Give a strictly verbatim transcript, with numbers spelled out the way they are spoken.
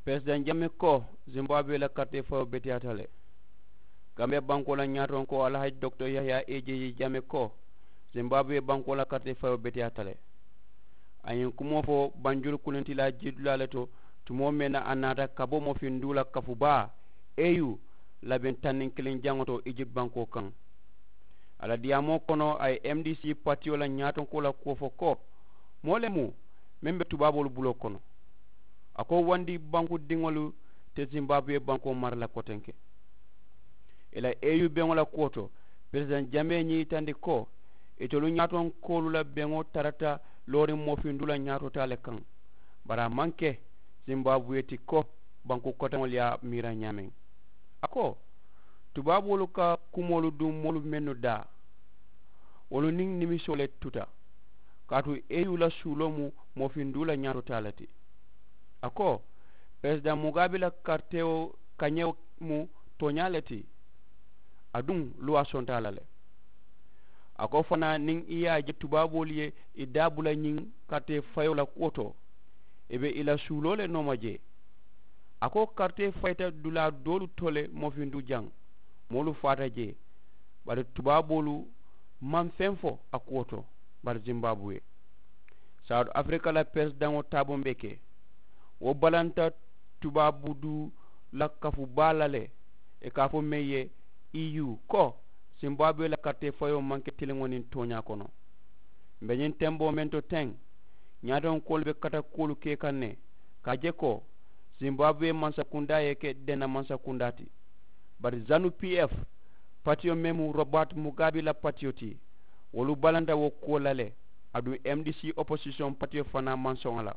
Peresidaŋ jame ko, zimbabwe la karitee fayoo beteyaata le. Gambiya bankoo la ñaatonkoo alhaji doktor yahaya ejeji jame ko, zimbabwe bankoo la karitee fayoo beteyaata le. A ye ñiŋ kumoo fo banjulu kulintilaa jiidulaa le to, tumoo meŋ na a naata ka bo moofinduu la kafu baa, eu, labeŋ tanniŋ kiliŋ jaŋo to ijipti bankoo kaŋ. A la diyaamoo kono a ye m d c patiyo la ñaatonkoo la kuwo fo ko, moo le mu meŋ be tubaaboolu buloo kono. A ko wandi banku diŋolu te zimbabwe bankoo mara la kotenke. I la eu beŋo la kuwo to, peresidaŋ jamee ñiŋ yitandi ko, itolu ñaatonkoolu la beŋo tarata looriŋ moofindu la ñaatotaa le kaŋ. Bari a maŋ ke zimbabwe ti ko banku koteŋolu ye a miira ñaameŋ. A ko, tubaaboolu ka kumoolu duŋ moolu mennu daa, wolu niŋ nimisoo le tuta. Kaatu eu la suuloo mu moofinduu la ñaatotaa le ti. A ko, peresidaŋ mugaabi la karitewo kañewo mu tooñaa le ti. Aduŋ luwaa sonta a la le. A ko fanaa niŋ i ye a je tubaaboolu ye i daa bula ñiŋ karitee fayoo la kuwo to, i be i la suuloo le nooma jee. A ko karitee fayita dulaa doolu to le moofinduu jaŋ, moolu faata jee. Bari tubaaboolu maŋ feŋ fo a kuwo to. Bari zimbabwe, sawuti afirika la peresidaŋo taaboo be ke, wo balanta tubaabu duu la kafu baa la le. I ka a fo meŋ ye eu ko, zimbabwe la karitee fayoo maŋ ke tiliŋo niŋ tooñaa kono. M̀ be ñiŋ tenboo meŋ to teŋ, ñaatonkoolu be kata kuwolu ke kaŋ ne, ka a je ko zimbabwe mansakundaa ye ke denna mansakundaa ti. Bari zanu p f patiyo meŋ mu robert mugaabi la patiyo ti, wolu balanta wo kuwo la le. Aduŋ m d c oposisiyoŋ patiyo fanaa maŋ soŋ a la.